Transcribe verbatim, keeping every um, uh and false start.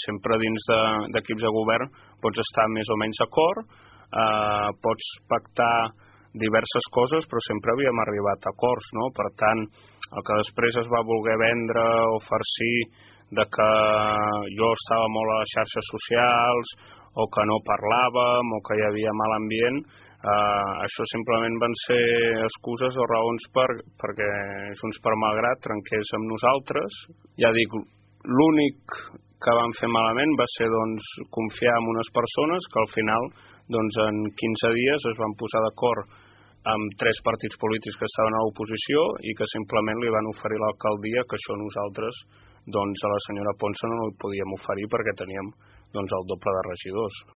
Sempre dins d'equips de, de govern pots estar més o menys d'acord, eh, pots pactar diverses coses, però sempre havíem arribat a acords, no? Per tant, el que després es va voler vendre o farcir de que jo estava molt a les xarxes socials o que no parlàvem o que hi havia mal ambient, eh, això simplement van ser excuses o raons per, perquè Junts per Malgrat trenqués amb nosaltres. Ja dic, l'únic que vam fer malament va ser doncs, confiar en unes persones que al final doncs, en quinze dies es van posar d'acord amb tres partits polítics que estaven a l'oposició i que simplement li van oferir l'alcaldia, que això nosaltres doncs, a la senyora Ponsa no li podíem oferir perquè teníem doncs, el doble de regidors.